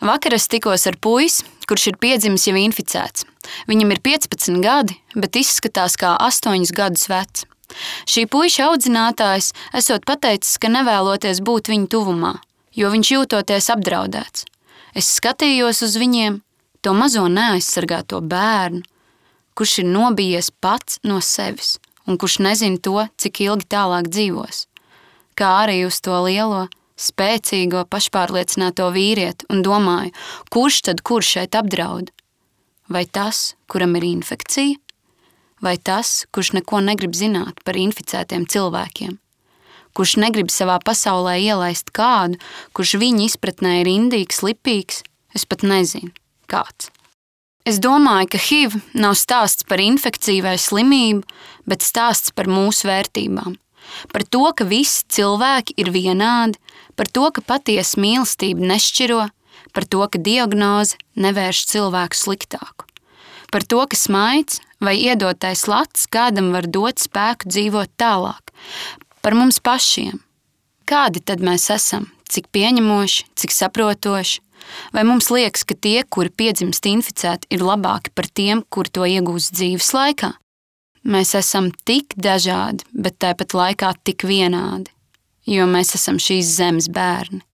Vakar es tikos ar puisi, kurš ir piedzimis jau inficēts. Viņam ir 15 gadi, bet izskatās kā 8 gadus vecs. Šī puiša audzinātājs esot pateicis, ka nevēloties būt viņa tuvumā, jo viņš jūtoties apdraudēts. Es skatījos uz viņiem, to mazo neaizsargāto bērnu, kurš ir nobijies pats no sevis un kurš nezina to, cik ilgi tālāk dzīvos. Kā arī uz to lielo, spēcīgo, pašpārliecināto vīrieti un domāju, kurš tad kurš šeit apdraud? Vai tas, kuram ir infekcija? Vai tas, kurš neko negrib zināt par inficētiem cilvēkiem? Kurš negrib savā pasaulē ielaist kādu, kurš viņa izpratnē ir indīgs, lipīgs? Es pat nezinu, kāds. Es domāju, ka HIV nav stāsts par infekciju vai slimību, bet stāsts par mūsu vērtībām. Par to, ka visi cilvēki ir vienādi, par to, ka patiesa mīlestība nešķiro, par to, ka diagnoze nevērš cilvēku sliktāku, par to, ka smaids vai iedotais lats kādam var dot spēku dzīvot tālāk, par mums pašiem. Kādi tad mēs esam? Cik pieņemoši, cik saprotoši? Vai mums liekas, ka tie, kuri piedzimst inficēti, ir labāki par tiem, kuri to iegūst dzīves laikā? Mēs esam tik dažādi, bet tāpat laikā tik vienādi, jo mēs esam šīs zemes bērni.